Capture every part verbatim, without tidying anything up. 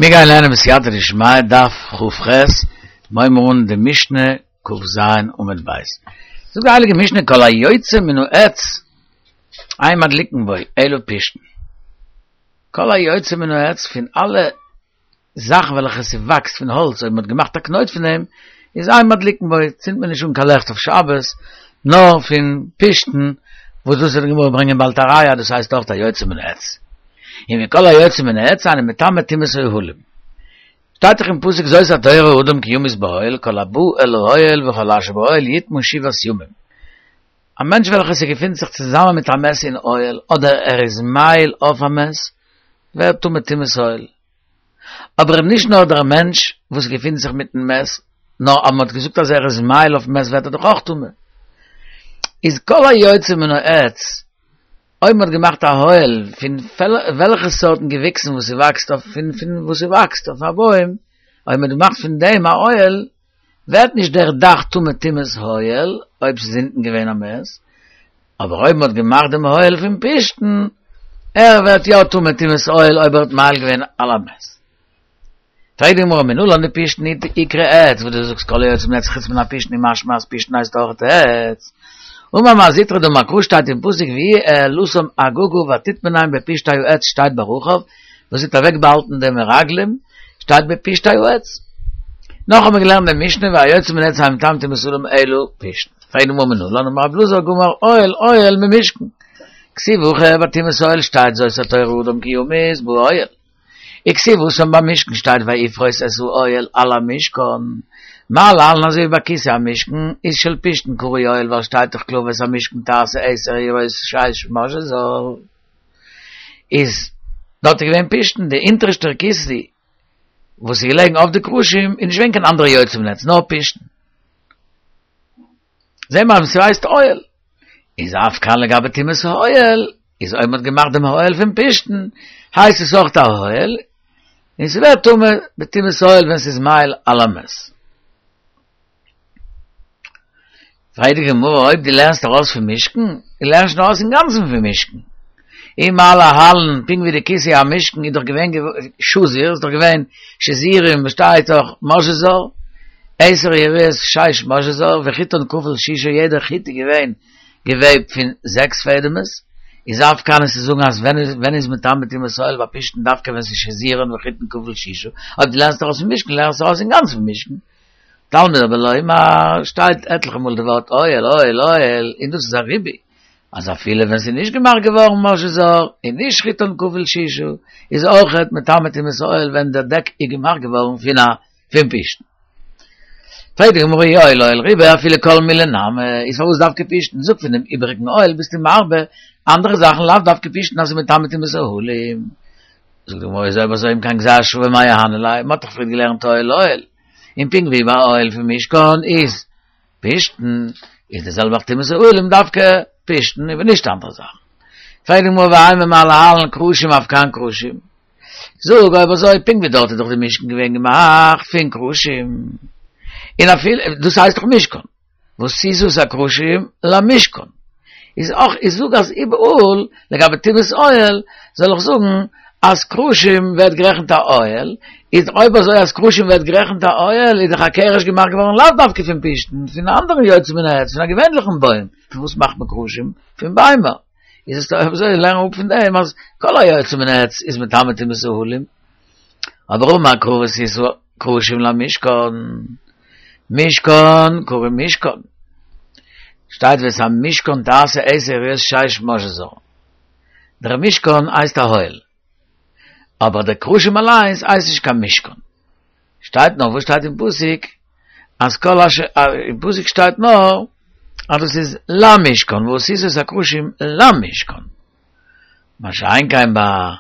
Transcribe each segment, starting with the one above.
מיר גייען לערנען בסייעתא דשמיא דף כ"ח, מיר הייבן אן די משנה כ"ז עמוד ב'. זאגט די הייליגע משנה כל היוצא מן העץ אין מדליקין בו אלא פשתן. כל היוצא מן העץ פון אלע זאכן וועלכע ס'וואקסט פון האלץ אויב מ'האט געמאכט א קנויט פון דעם איז אין מדליקין בו צינדט מען נישט אן קיין לעכט אויף שבת נאר פון פשתן וואס דאס וועט די גמרא ברענגען באלד א ראיה דאס הייסט אויך היוצא מן העץ. און וכל היוצא מן העץ אינו מטמא טומאת אוהלים. שטייט דאך אין פסוק זאת התורה האדם כי ימות באוהל כל הבא אל האוהל וכל אשר באוהל יטמא שבעת ימים. א מענטש וועלכער ס'געפינט זיך צוזאמען מיט א מת אין אוהל אדער ער איז מאהיל אויף א מת ווערט טמא טומאת אוהל. אבער נישט נאר דער מענטש וואס געפינט זיך מיטן מת, נאר אז מ'האט געזאגט אז ער איז מאהיל אויפן מת ווערט ער דאך אויך טמא. איז כל היוצא מן העץ אויב מ'האט געמאכט א אוהל פון וועלכע סארטן געוויקסן וואס ס'וואקסט אויף פון פון וואס ס'וואקסט אויף א בוים, אויב מ'האט געמאכט פון דעם א אוהל, ווערט נישט דער דאך טמא טומאת אוהל, אויב ס'איז אונטן געווען א מת, אבער אויב מ'האט געמאכט דעם אוהל פון פשתן, ער ווערט יא טמא טומאת אוהל אויב ער האט מאהיל געווען על המת. פרעגט די גמרא מנלן דפשתן איקרי עץ, וואס דו זאגסט כל היוצא מן העץ חוץ מן הפשתן איז משמע אז פשתן הייסט אויך עץ. אמר מר זוטרא דאמר קרא שטייט אין פסוק והיא העלתם אגגה ותטמנם בפשתי העץ שטייט ביי רחב וואס האט אוועק באהאלטן די מרגלים שטייט בפשתי העץ. נאך האבן מיר געלערנט די משנה והיוצא מן העץ אינו מטמא טומאת אהלים אלא פשתן. פרעגט די גמרא מנלן אמר רבי אלעזר גמר אוהל אוהל ממשכן. כתיב הכא ביי טומאת אוהל שטייט זאת התורה האדם כי ימות באוהל. וכתיב התם ביים משכן שטייט ויפרוס את האוהל על המשכן, מה להלן אזוי ווי ביי כסא המשכן איז של פשתן קרוי אוהל ווייל שטייט דאך קלאר ואת המשכן תעשה עשר יריעות שש משזר איז דארט איז געווען פשתן די אונטערשטער כיסוי וואס איז געלעגן אויף די קרשים איז נישט געווען קיין אנדערע יוצא מן העץ נאר פשתן. זעהן מיר אז ס'הייסט אוהל. איז אף כאן לגבי טומאת האוהל, איז אויב מ'האט געמאכט דעם אוהל פון פשתן, הייסט עס אויך א אוהל, און ס'ווערט טמא בטומאת אוהל ווען ס'איז מאהיל על המת. פרעגט די גמרא אויב דו לערנסט ארויס פון משכן, דו לערנסט שוין ארויס אינגאנצן פון משכן. אי מה להלן, פונקט ווי די כיסוי המשכן איז דאך געווען שזור, איז דאך געווען שזורים וואס שטייט דאך משזר, עשר יריעות שש משזר, וחוטן כפול ששה יעדער חוט איז געווען געוועבט פון זעקס פעדעמעס, איז אף כאן איז צו זאגן אז ווען איז ווען איז מטמא טומאת אוהל ביי פשתן דווקא ווען ס'איז שזורין וחוטן כפול ששה, אויב דו לערנסט ארויס פון משכן לערנסטו ארויס אינגאנצן פון משכן. תלמוד אבער לומר שטייט עטליכע מאל די ווארט אוהל אוהל אוהל און דאס איז א ריבוי אז אפילו ווען ס'איז נישט געמאכט געווארן משזר און נישט חוטן כפול ששה איז אויכעט מטמא טומאת אוהל ווען דער דעק איז געמאכט געווארן פון א פון פשתן. פרעגט די גמרא אי אוהל אוהל ריבה אפילו כל מילי נמי איז פארוואס דווקא פשתן זאג פון דעם איבעריגן אוהל ביסטו מרבה אנדערע זאכן לאו דווקא פשתן אז ס'איז מטמא טומאת אוהלים. זאגט די גמרא איז אויב אזוי אם כן גזירה שוה מאי אהני ליה מ'האט דאך פריער געלערנט אוהל אוהל און פונקט ווי ביי אוהל פון משכן איז פשתן, איז די זעלבע אויך טומאת אוהלים דווקא פשתן און נישט אנדערע זאכן. פרעגט די גמרא ואימא מה להלן קרשים אף כאן קרשים. זאג אויב אזוי פונקט ווי דארט איז דאך די משכן געווען געמאכט פון קרשים, און אפילו דאס הייסט דאך משכן, ועשית את הקרשים למשכן, איז אויך איך זאג אז איבעראל לגבי טומאת אוהל זאל איך זאגן אז קרשים ווערט גערעכנט א אוהל, איז אויב אזוי אז קרשים ווערט גערעכנט א אוהל איז דאך א קרש געמאכט געווארן לאו דווקא פון פשתן, פון א אנדערן יוצא מן העץ, פון א געווענליכן בוים, פון וואס מאכט מען קרשים? פון ביימער, איז עס אויב אזוי לערן אפ פון דעם אז כל היוצא מן העץ איז מטמא טומאת אוהלים, אבער אמר קרא ועשית קרשים למשכן, משכן קרוי משכן, שטייט ואת המשכן תעשה עשר יריעות שש משזר, דער משכן הייסט א אוהל, אבער די קרשים אליינס הייסט נישט קיין משכן, שטייט נאר וואס שטייט אין פסוק אז כל אשר אין פסוק שטייט נאר אז דאס איז למשכן ועשית את הקרשים למשכן, מה שאין כן ביי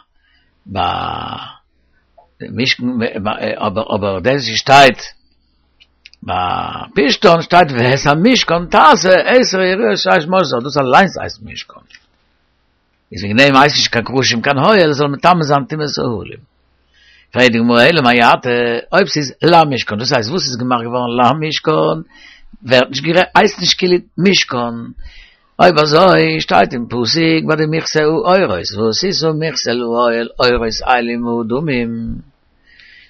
ביי משכן אבער אבער דאס שטייט ביי פשתן שטייט ואת המשכן תעשה עשר יריעות שש משזר דאס אליינס הייסט משכן איז וועגן דעם הייסט נישט קיין קרשים קיין אוהל זאל מטמא זיין טומאת אוהלים פרעגט די גמרא אלא מעתה אויב ס'איז למשכן דאס הייסט וואס איז געמאכט געווארן למשכן ווערט נישט גערעכנט הייסט נישט כאילו משכן אויב אזוי שטייט אין פסוק ביי די מכסה העורות ועשית מכסה לאוהל עורות אילים מאדמים,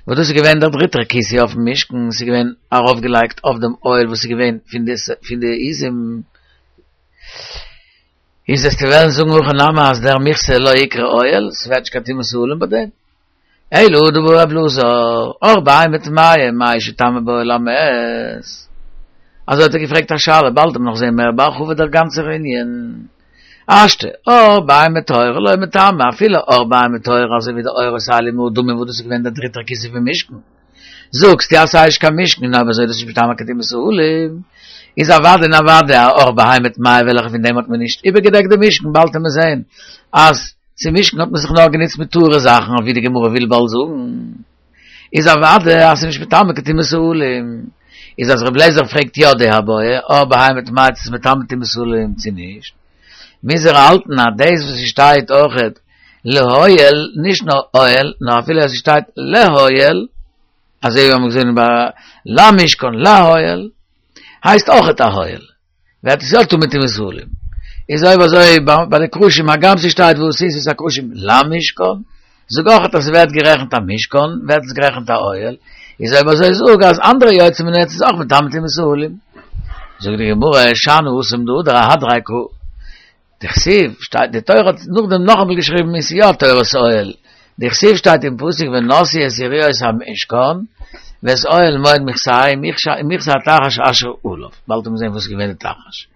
וואס דאס איז געווען דער דריטער כיסוי אויפן משכן, ס'איז געווען ארויפגעלייגט אויף דעם אוהל וואס איז געווען פון די פון די עזים. איז וועסטו וועלן זאגן הכי נמי אז דער מכסה לא איקרי אוהל, ס'ווערט נישט קיין טומאת אהלים ביי דעם. אלא דבעי רב אלעזר, עור בהמה טמאה, מהו שיטמא באוהל המת. אזוי האט ער געפרעגט א שאלה, באלד וועט מען נאך זעהן מער בהרחבה דער גאנצער ענין. השתא, עור בהמה טהורה לא מטמא, אפילו עור בהמה טהורה אזוי ווי די עורות אילים מאדמים וואס דאס איז געווען דער דריטער כיסוי פון משכן. זאגסטו אז ס'איז נישט קיין משכן און אויב אזוי איז דאס נישט מטמא קיין טומאת אהלים. איז אוודאי און אוודאי א עור בהמה טמאה וועלכע פון דעם האט מען נישט איבערגעדעקט די משכן באלד וועט מען זעהן אז צום משכן האט מען זיך נאר גענוצט מיט טהור'ע זאכן אויף ווי די גמרא וויל באלד זאגן איז אוודאי אז ס'איז נישט מטמא קיין טומאת אהלים איז אז ר' אליעזר פרעגט יא די בעיא עור בהמה טמאה צו ס'איז מטמא טומאת אהלים צו נישט מוז ער האלטן אז דאס וואס ס'שטייט אויכעט לאוהל נישט נאר אוהל נאר אפילו אז ס'שטייט לאוהל אזוי ווי מיר האבן געזען ביי למשכן לאוהל הייסט אויכעט א אוהל ווערט עס יא טמא טומאת אהלים איז אויב אזוי ביי די קרשים הגם ס'שטייט ועשית את הקרשים למשכן זאג אויכעט אז ס'ווערט גערעכנט א משכן ווערט עס גערעכנט א אוהל איז אויב אזוי זאג אז אנדערע יוצא מן העץ איז אויך מטמא טומאת אהלים זאגט די גמרא שאני התם דהדר אהדריה קרא דכתיב שטייט די תורה האט נאכדעם נאכאמאל געשריבן איז יא תורת אוהל דכתיב שטייט אין פסוק ונשאו את יריעות המשכן ואת אוהל מועד מכסהו מכסה התחש אשר עליו באלד וועט מען זען וואס איז געווען די תחש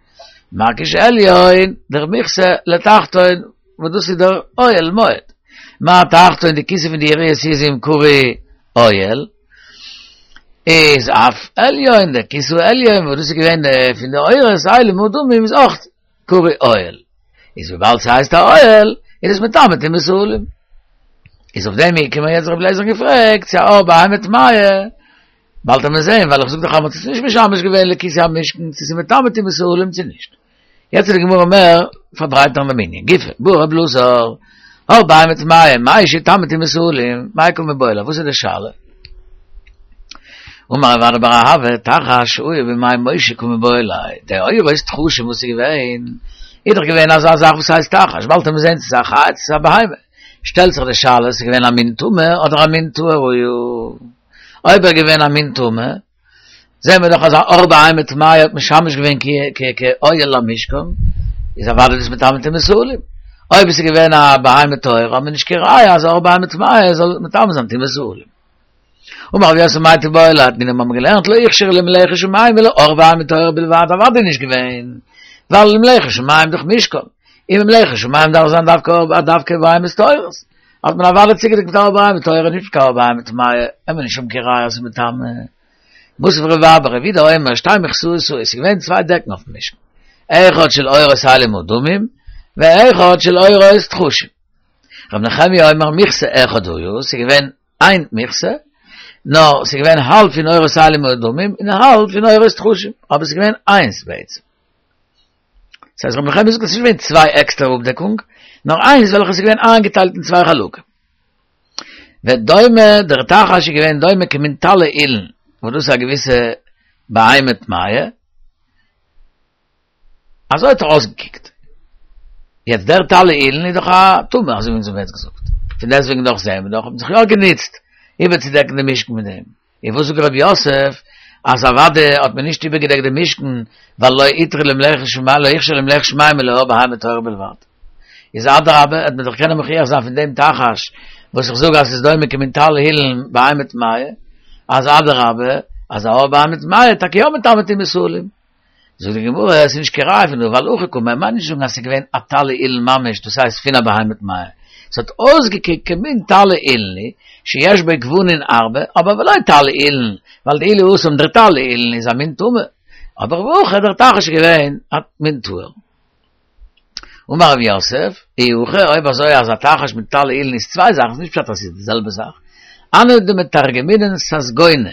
מקיש עליון דער מכסה לתחתון וואס דאס איז דער אוהל מועד מה תחתון די כיסוי פון די יריעות עזים קרוי אוהל איז אף עליון דער כיסוי עליון וואס דאס איז געווען פון די עורות אילים מאדמים איז אויך קרוי אוהל איז וויבאלד ס'הייסט א אוהל איז עס מטמא טומאת אהלים איז אויף דעם געקומען יעצט רבי אליעזר געפרעגט צו א עור בהמה טמאה באלד וועט מען זען ווייל איך זאג דאך אז מ'האט עס נישט משמש געווען לכיסוי המשכן צו ס'איז מטמא טומאת אהלים צו נישט יעצט איז די גמרא מער פארברייטערן דעם ענין גופא בעי רבי אלעזר עור בהמה טמאה מהו שיטמא טומאת אהלים מאי קא מיבעיא ליה וואס איז די שאלה אמר רב אדא בר אהבה תחש שהיה בימי משה קא מיבעיא ליה די עורות תחשים וואס איז געווען איז דאך געווען אזא זאך וואס הייסט תחש באלד וועט מען זען צו ס'איז א חיה צו ס'איז א בהמה שטעלט זיך די שאלה ס'איז געווען א מין טמא אדער א מין טהור היה אויב ער געווען א מין טמא זעהן מיר דאך אז א עור בהמה טמאה האט משמש געווען כאוהל למשכן איז אוודאי דאס מטמא טומאת אהלים אויב עס איז געווען א בהמה טהורה האט מען נישט קיין ראיה אז עור בהמה טמאה זאל מטמא זיין טומאת אהלים אמר רב יוסף מאי תיבעי ליה תנינא האבן מיר געלערנט לא הוכשרו למלאכת שמים אלא עור בהמה טהורה בלבד אוודאי נישט געווען ווייל למלאכת שמים דאך משכן און מלאכת שמים דארף זיין דווקא דווקא בהמות טהורות האט מען אוודאי צוגעדעקט מיט עור בהמה טהורה נישט מיט עור בהמה טמאה האט מען נישט שום קיין ראיה אז ס'איז מטמא מתיב רבי אבא רבי יהודה אומר שתי מכסאות היו ס'איז געווען צוויי דעקן אויפן משכן אחד של עורות אילים מאדמים ואחד של עורות תחשים רבי נחמיה אומר מכסה אחד היה ס'איז געווען איין מכסה נאר ס'איז געווען האלב פון עורות אילים מאדמים און האלב פון עורות תחשים אבער ס'איז געווען איינס בעצם ס'הייסט רבי נחמיה זאגט אז ס'איז נישט געווען צוויי עקסטערע אפדעקונג נאר איינס וועלכע איז געווען איינגעטיילט אין צוויי חלקים ודומה דער תחש איז געווען דומה כמין טלה אילן וואס דאס איז א געוויסע בהמה טמאה אזוי האט ער אויסגעקוקט יעצט דער טלה אילן איז דאך א טמא אזוי ווי אונז האבן יעצט געזאגט פון דעסטוועגן דאך זעהן מיר דאך האט מען זיך יא גענוצט איבערצודעקן די משכן מיט דעם און וואס זאגט רב יוסף אז אוודאי האט מען נישט איבערגעדעקט די משכן ווייל לא הותרו למלאכת שמים לא הוכשרו למלאכת שמים אלא עור בהמה טהורה בלבד איז אדרבה וועט מען דאך קענען מוכיח זיין פון דעם תחש וואס איך זאג אז ס'איז דומה כמין טלה אילן בהמה טמאה אז אדרבה אז א עור בהמה טמאה טאקע יא מטמא טומאת אהלים זאגט די גמרא עס איז נישט קיין ראיה פון דא ווייל הכי קאמר מיינט נישט זאגן אז עס איז געווען א טלה אילן ממש דאס הייסט פון א בהמה טמאה עס האט אויסגעקוקט כמין טלה אילן שיש בו גוונין הרבה אבער ולא טלה אילן ווייל דאילו התם דער טלה אילן איז א מין טמא אבער והכא דער תחש איז געווען א מין טהור אמר רב יוסף אי הכי אויב אזוי אז א תחש מיט טלה אילן איז צוויי זאכן איז נישט פשט אז עס איז די זעלבע זאך הני דמתרגמינן ססגונא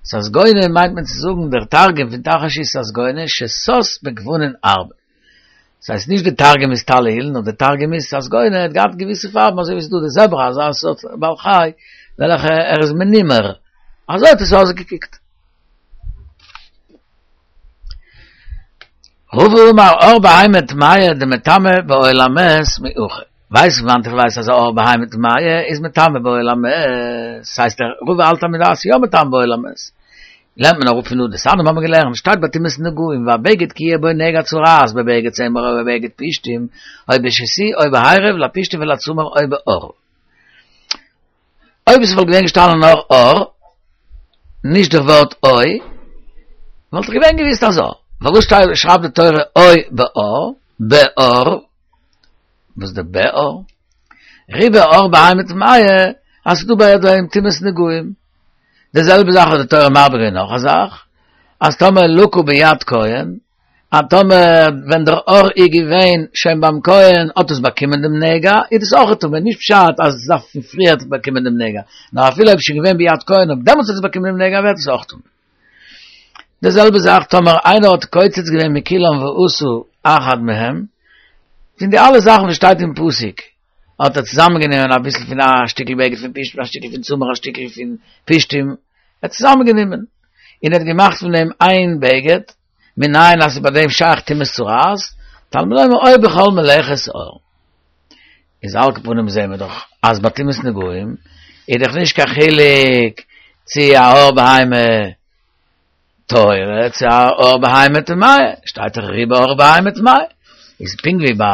ססגונא מיינט מען צו זאגן דער תרגום פון תחש איז ססגונא ששש בגוונין הרבה. דאס הייסט נישט די תרגום איז טלה אילן, נאר די תרגום איז ססגונא האט געהאט געוויסע פארבן אזוי ווי ס'איז דא די זעברא אזא סארט בעל חי וועלכע ער איז מנומר. אזוי האט עס אויסגעקוקט. רבא אמר עור בהמה טמאה דמטמא באוהל המת מהכא. ווייס וואנעט איך ווייס אז עור בהמה טמאה איז מטמא באוהל המת. ס'הייסט דער רבא האלט אז מ'דארף יא מטמא באוהל המת. לערנט מען אראפ פון דא, דתניא האבן מיר געלערנט, שטייט ביי טומאת נגעים, והבגד כי יהיה בו נגע צרעת בבגד צמר או בבגד פשתים, או בשתי או בערב לפשתים ולצמר או בעור. אויב עס וואלט געווען געשטאנען נאר עור, נישט דער ווארט או, וואלט איך געווען געוויסט אזוי. פארוואס שרייבט די תורה או בעור, בעור, וואס איז די בעור? ריבה עור בהמה טמאה, אז ס'דא ביי דעם טומאת נגעים. די זעלבע זאך האט די תורה מרבה געווען נאך א זאך, אז טאמער לקה ביד כהן, אז טאמער ווען דער עור איז געווען שוין ביים כהן האט עס באקומען דעם נגע, איז דאס אויך טמא, נישט פשט אז עס דארף פון פריער באקומען דעם נגע, נאר אפילו אויב עס איז שוין געווען ביד כהן און דעמאלטס האט עס באקומען דעם נגע ווערט עס אויך טמא. די זעלבע זאך טאמער איינער האט קוצץ געווען מכולם ועשה אחד מהם, פון די אלע זאכן וואס שטייט אין פסוק האט ער צוזאמען גענומען אביסל פון א שטיקל בגד פון פשתים א שטיקל פון צמר א שטיקל פון פשתים, ער האט צוזאמען גענומען און ער האט געמאכט פון דעם איין בגד, מנין אז ס'איז ביי דעם שייך טומאת צרעת, תלמוד לומר או בכל מלאכת עור. איז על כל פנים זעהן מיר דאך אז ביי טומאת נגעים איז דאך נישט קיין חילוק צו א עור בהמה טהורה צו א עור בהמה טמאה, שטייט דאך ריבה עור בהמה טמאה, איז פונקט ווי ביי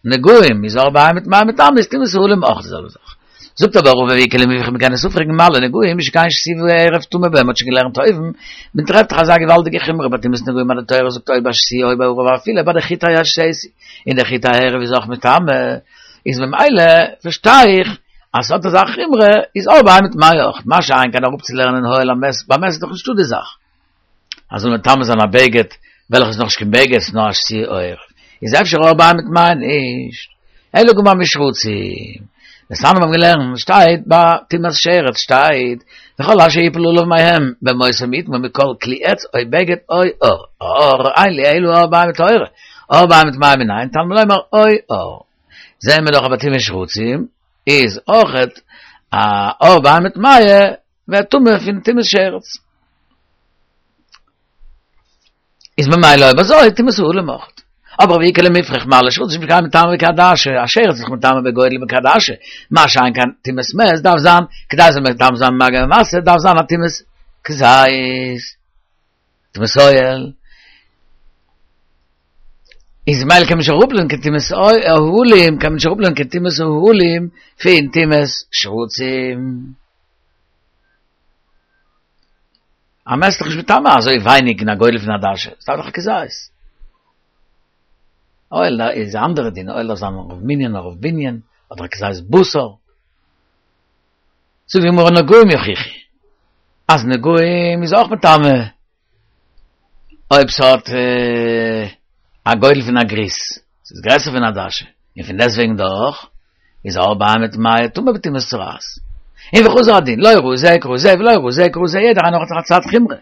נגעים איז עור בהמה טמאה מטמא איז טומאת אהלים אויך די זעלבע זאך. זאגט אבער רבא ואיכא למיפרך מ'קען עס אפפרעגן מה לנגעים שכן שתי וערב טמא בהם מ'האט שוין געלערנט אויבן, מען טרעפט דאך אזא געוואלדיגע חומרא ביי טומאת נגעים אז די תורה זאגט או בשתי או בערב אפילו ביי די חוטי השתי און די חוטי הערב איז אויך מטמא איז ממילא פארשטיי איך אז ס'האט אזא חומרא איז עור בהמה טמאה אויך, מה שאין כן אראפצולערנען אוהל המת, ביי מת איז דאך נישטא די זאך אז זאל מטמא זיין א בגד וועלכע איז נאכנישט קיין בגד ס'איז נאר א שתי או ערב, איז אפשר עור בהמה טמאה נישט, אלא גמר משרצים, דתניא מיר האבן געלערנט שטייט ביי טומאת שרץ שטייט וכל אשר יפול עליו מהם במותו יטמא מכל כלי עץ או בגד או עור, עור אין לי אלא עור בהמה טהורה, עור בהמה טמאה מנין תלמוד לומר או עור. זעהן מיר דאך אז ביי טומאת שרצים איז אויכעט א עור בהמה טמאה ווערט טמא פון טומאת שרץ. איז ממילא אויב אזוי טומאת אהלים אויכעט. אבער ואיכא למיפרך מה לשרצים שכן מטמא בכעדשה, א שרץ איז דאך מטמא בגודל בכעדשה, מה שאין כן טומאת מת דארף זיין, כדי ס'זאל מטמא זיין במגע ומשא דארף זיין א טומאת כזית, טומאת אוהל. איז ממילא קען מען נישט אראפלערנען קיין טומאת אהלים, קען מען נישט אראפלערנען קיין טומאת אהלים פון טומאת שרצים. א מת איז דאך נישט מטמא אזוי ווייניג אין א גודל פון עדשה, עס דארף דאך א כזית. אוהל איז א אנדערע דין, אוהל דארף זיין רוב מנין און רוב בנין, אדער א כזית בשר. זאגט די גמרא נגעים יוכיחו, אז נגעים איז אויך מטמא אויב ס'האט א גודל פון א גריס, ס'איז גרעסער פון עדשה, און פון דעסטוועגן דאך איז עור בהמה טמאה טמא בטומאת צרעת. און וחזר הדין, לא ראי זה כראי זה ולא ראי זה כראי זה, יעדער איינער האט זיך א צד חומרא.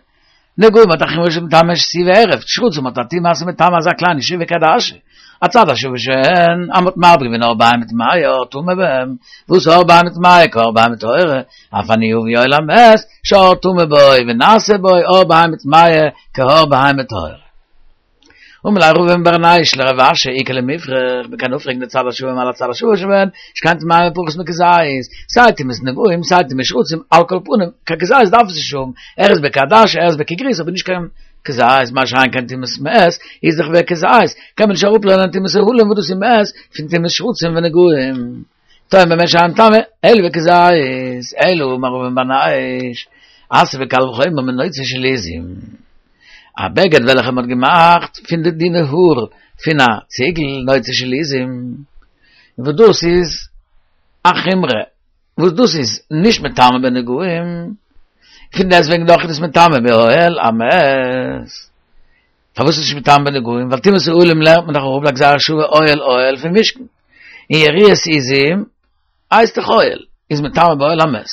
נגעים האט א חומרא שמטמא שתי וערב, שרצים האט א טומאה אז ס'מטמא אזא קליינע שיעור ווי כעדשה. הצד השוה שהן, אז מ'האט מרבה געווען עור בהמה טמאה טמא בהם, וואס עור בהמה טמאה כעור בהמה טהורה, אף אני אביא אוהל המת, שעור טמא בו ונעשה בו עור בהמה טמאה כעור בהמה טהורה. אמר ליה רבא בר נייש לרב אשי איכא למיפרך, מ'קען אפפרעגן די צד השוה מה לצד השוה שבהן, שכן טמאה בפחות מכזית, סיי טומאת נגעים סיי טומאת שרצים, על כל פנים, קיין כזית דארף עס נישט האבן, ער איז בכעדשה ער איז בכגריס אבער נישט קיין כזית, מה שאין כן טומאת מת איז דאך בכזית, קען מען נישט אראפלערנען טומאת אהלים וואס דאס איז מת פון טומאת שרצים ונגעים. תאמר במה שאין מטמא אלא בכזית, אלא אמר רבא בר נייש, אתיא וקל וחומר מנוצה של עזים. א בגד וועלכע מען האט געמאכט פון די דינע האר פון א ציגל, נוצה של עזים, וואס דאס איז א חומרא, וואס דאס איז נישט מטמא בנגעים, פון דעסטוועגן דאך איז עס מטמא באוהל המת. פארוואס איז עס נישט מטמא בנגעים? ווייל טומאת אהלים לערנט מען דאך אראפ לגזירה שוה אוהל אוהל פון משכן, און יריעות עזים הייסט דאך אוהל, איז מטמא באוהל המת.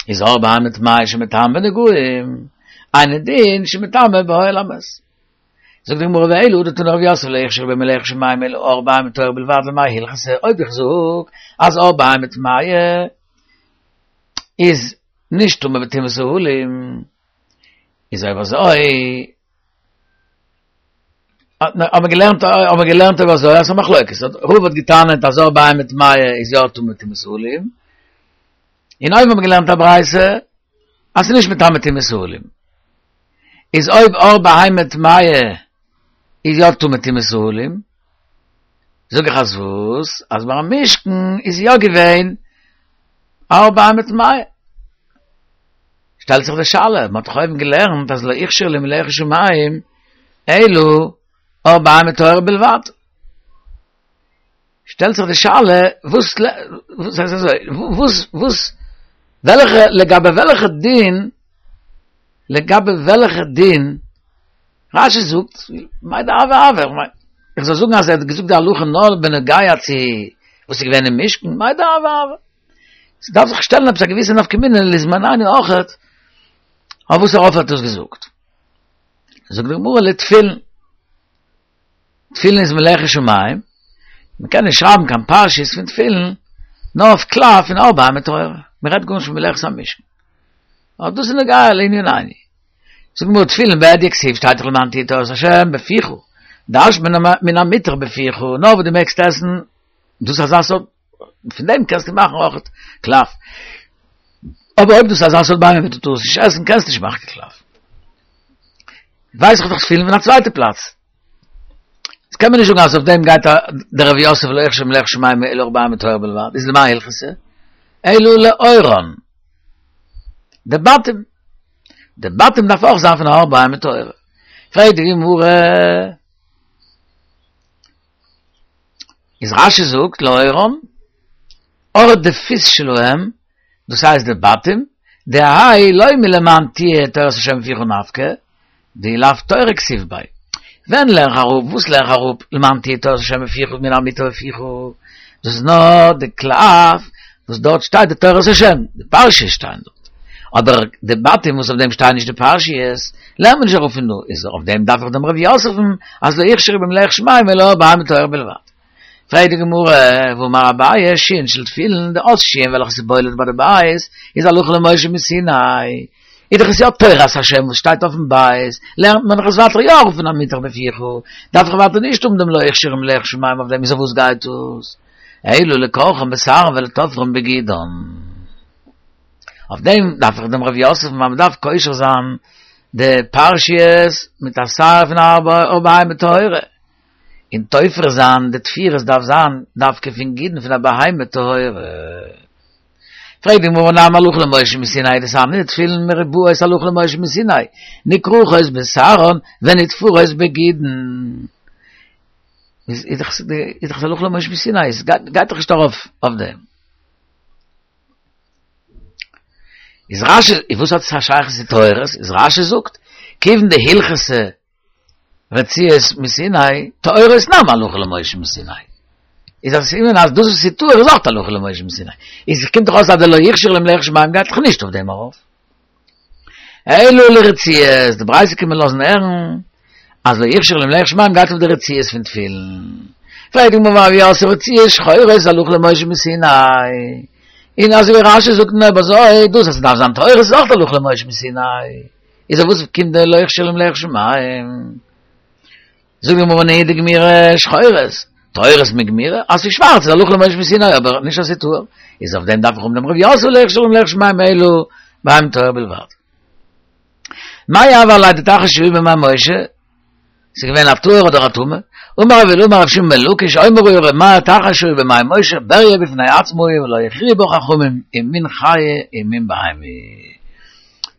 איז עור בהמה טמאה שמטמא בנגעים, אינו דין שמטמא באוהל המת. זאגט די גמרא ואלא הא דתני רב יוסף לא הוכשרו במלאכת שמים אלא עור בהמה טהורה בלבד למאי הלכתא, אויב איך זאג אז עור בהמה טמאה איז נישט טמא בטומאת אהלים, איז אויב אזוי האבן געלערנט, האבן געלערנט אבער אזוי, אז מחלוקת. רבא האט געטענה'ט אז עור בהמה טמאה איז יא טמא טומאת אהלים. און אויבן האבן געלערנט א ברייתא, אז ס'איז נישט מטמא טומאת אהלים. איז אויב עור בהמה טמאה איז יא טמא טומאת אהלים, זאג איך אז וואס? אז ביים משכן איז יא געווען עור בהמה טמאה. שטעלט זיך די שאלה, מ'האט דאך אויבן געלערנט אז לא הוכשר למלאכת שמים אלא עור בהמה טהורה בלבד. שטעלט זיך די שאלה, וואס, וואס הייסט אזוי, וואס, וואס, וועלכע, לגבי וועלכע דין, לגבי וועלכע דין, רש"י זאגט, מאי דהוה הוה, איך מיין, איך זאל זאגן אז ער האט געזאגט די הלכה נאר בנוגע צו וואס איז געווען אין משכן, מאי דהוה הוה. עס דארף זיך שטעלן עפעס א געוויסע נפקא מינה לזמנינו אויכעט, אויף וואס ער האט דאס געזאגט. זאגט די גמרא לתפילין. תפילין איז מלאכת שמים, מען קען נישט שרייבן קיין פרשיות פון תפילין, נאר אויף קלף פון עור בהמה טהורה. מען רעדט גארנישט פון מלאכת המשכן. אבער דאס איז נוגע לענינינו. זאגט די גמרא תפילין בהדיא כתיב שטייט דאך למען תהיה תורת השם בפיך, דרש'נט מען מן המותר בפיך, נאר וואס דו מעגסט עסן, דאס איז אזא סארט, פון דעם קענסטו מאכן אויך קלף. אבער אויב דאס איז אזא סארט בהמה וואס דו טארסט נישט עסן, קענסטו נישט מאכן קלף. ווייס איך דאך תפילין פון א צווייטע פלאץ. עס קען מען נישט זאגן אז אויף דעם גייט דער רב יוסף לא הוכשר למלאכת שמים אלא עור בהמה טהורה בלבד, איז למאי הלכתא? אלא לעורן. די בתים. די בתים דארף אויך זיין פון עור בהמה טהורה. פרעגט די גמרא, איז רש"י זאגט לעורן, עור דפוס שלהם, דאס הייסט די בתים, דהאי לא מלמען תהיה תורת השם בפיך נפקא, דאי לאו תורה כתיב ביה. ווען לערן איך אראפ, וואס לערן איך אראפ, למען תהיה תורת השם בפיך מן המותר בפיך, דאס איז נאר די קלף וואס דארט שטייט די תורת השם, די פרשיות שטייען דארט. אבער די בתים וואס אויף דעם שטייען נישט די פרשיות, לערנט מען נישט אראפ פון דא, איז אויף דעם דארף איך דעם רב יוסף'ן אז לא הוכשרו במלאכת שמים אלא עור בהמה טהורה בלבד. פרעגט די גמרא, והאמר אביי, שירן של תפילין, די אות שין וועלכע איז בולט ביי די בית, איז הלכה למשה מסיני. איז דאך עס יא תורת השם וואס שטייט אויפן בית, לערנט מען דאך עס ווייטער יא אראפ פון המותר בפיך, דארף איך ווייטער נישט האבן דעם לא הוכשרו למלאכת שמים אויף דעם, איז אויף וואס גייט דאס? אלא לכורכן בשערן ולתופרן בגידן. אויף דעם דארף איך דעם רב יוסף ווייל מען דארף קושר זיין די פרשיות מיט א שער פון עור בהמה טהורה, און תופר זיין די תפירות דארף זיין דווקא פון גידין פון א בהמה טהורה. פרעגט די גמרא נמי הלכה למשה מסיני דתניא תפילין מרובעות הלכה למשה מסיני נכרכות בשערן ונתפרות בגידין איז איז דאך איז דאך הלכה למשה מסיני עס גייט דאך נישט ארויף אויף דעם איז רש"י וואס האט עס א שייכות צו טהורות איז רש"י זאגט כיוון דהלכתא רצועות מסיני, טהורות נמי הלכה למשה מסיני. איז א סימן אז דאס וואס איז טהור איז אויך הלכה למשה מסיני. איז קומט דאך אויס אז די לא הוכשרו למלאכת שמים גייט דאך נישט אויף דעם ארויף. אלא לרצועות, די ברייתא קען מען לאזן הערן אז לא הוכשרו למלאכת שמים גייט אויף די רצועות פון תפילין. פרעגט די גמרא והא רב יוסף רצועות שחורות הלכה למשה מסיני. און אזוי ווי רש"י זאגט אויב אזוי דאס אז ס'דארף זיין טהורות איז אויך הלכה למשה מסיני. איז אויף וואס קומט דער לא הוכשרו למלאכת שמים? זאגט די גמרא נהי דגמירי שחורות, טהורות מגמירי, אז ס'איז שווארץ איז הלכה למשה מסיני, אבער נישט אז ס'איז טהור, איז אויף דעם דארף איך האבן דעם רב יוסף לא הוכשרו למלאכת שמים אלא בהמה טהורה בלבד. מאי הוה עליה דתחת שהיו בימי משה? ס'איז געווען א טהור אדער א טמא? אמר רבי אילעא אמר רבי שמעון בן לקיש אומר היה ר' מאיר תחת שהיו בימי משה בריה בפני עצמו היא ולא הכריעו בה חכמים אם מין חיה אם מין בהמה.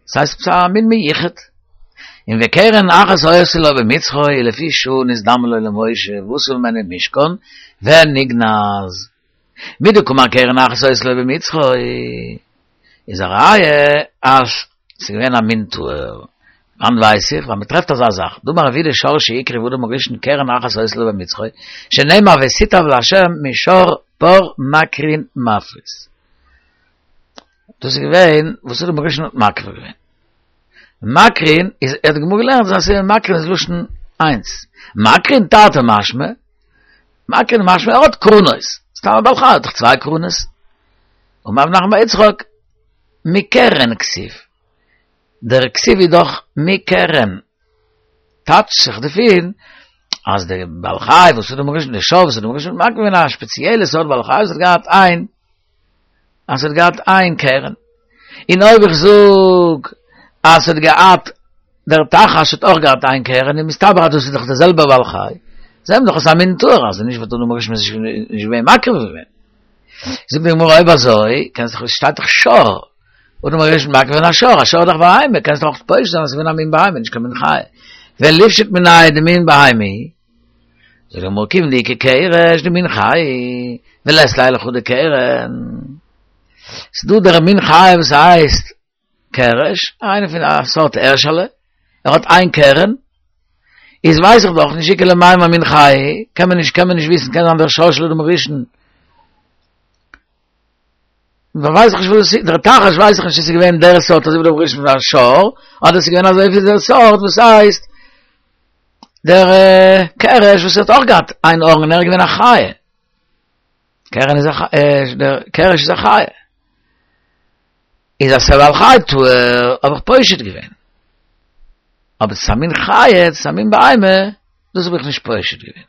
ס'הייסט עפעס א מין מיוחד. און וקרן אחת היתה לו במצחו ולפי שעה נזדמן לו למשה ועשו ממנו משכן ונגנז. מדקאמר קרן אחת היתה לו במצחו איז א ראיה אז ס'איז געווען א מין טהור. וואנעט ווייס איך? ווייל מ'טרעפט אזא זאך. דאמר רב יהודה שור שהקריב אדם הראשון קרן אחת היתה לו במצחו, שנאמר ותטב לה' משור פר מקרין מפריס. דאס איז געווען וואס אדם הראשון האט מקריב געווען. מקרין איז, האט די גמרא געלערנט אז מקרין איז לשון איינס. מקרין תרתי משמע, מקרין משמע ער האט קרנות. סתם א בעל חי האט דאך צוויי קרנות. אמר רב נחמן בר יצחק, מקרן כתיב. דער כתיב איז דאך מקרן. טייטשט זיך דערפון אז דער בעל חי, וואס אדם הראשון, דער שור, וואס אדם הראשון מקריב געווען א שפעציעלע סארט בעל חי, וואס האט געהאט איין, אז האט געהאט איין קרן. און אויב איך זאג, אז האט געהאט, דער תחש האט אויך געהאט איין קרן, און מסתבר אז דאס איז דאך דער זעלבער בעל חי. זעהן מיר דאך אז ס'איז א מין טהור, אז נישט וואלט אדם הראשון נישט געווען מקריב געווען. זאגט די גמרא אויב אזוי, קענסט דאך, שטייט דאך שור. אדם הראשון מקריב געווען א שור, א שור איז דאך בהמה, קענסט דאך פושט זיין אז ס'איז געווען א מין בהמה, נישט קיין מין חיה. וליפשוט מיניה דמין בהמה. זאגט די גמרא כיון דאיכא קרש דמין חיה, ולית ליה לחוד קרן. ס'דא דער מין חיה וואס הייסט קרש, איינע פון א סארט הערשעלע, ער האט איין קרן, איז ווייס איך דאך נישט איכא למימר מין חיה, קען מען נישט, קען מען נישט וויסן, קען זיין דער שור של אדם הראשון, ווייס איך נישט וואס דער תחש ווייס איך נישט איז געווען דער סארט אזוי ווי אדם הראשון פון א שור, אדער איז געווען אזוי ווי דער סארט וואס הייסט דער קרש וואס האט אויך געהאט איין ארן און ער איז געווען א חיה. קרן איז א דער קרש איז א חיה. איז אז ס'איז א בעל חי טהור, האב איך פושט געווען. אבער ס'איז א מין חיה, ס'איז א מין בהמה, דאס האב איך נישט פושט געווען.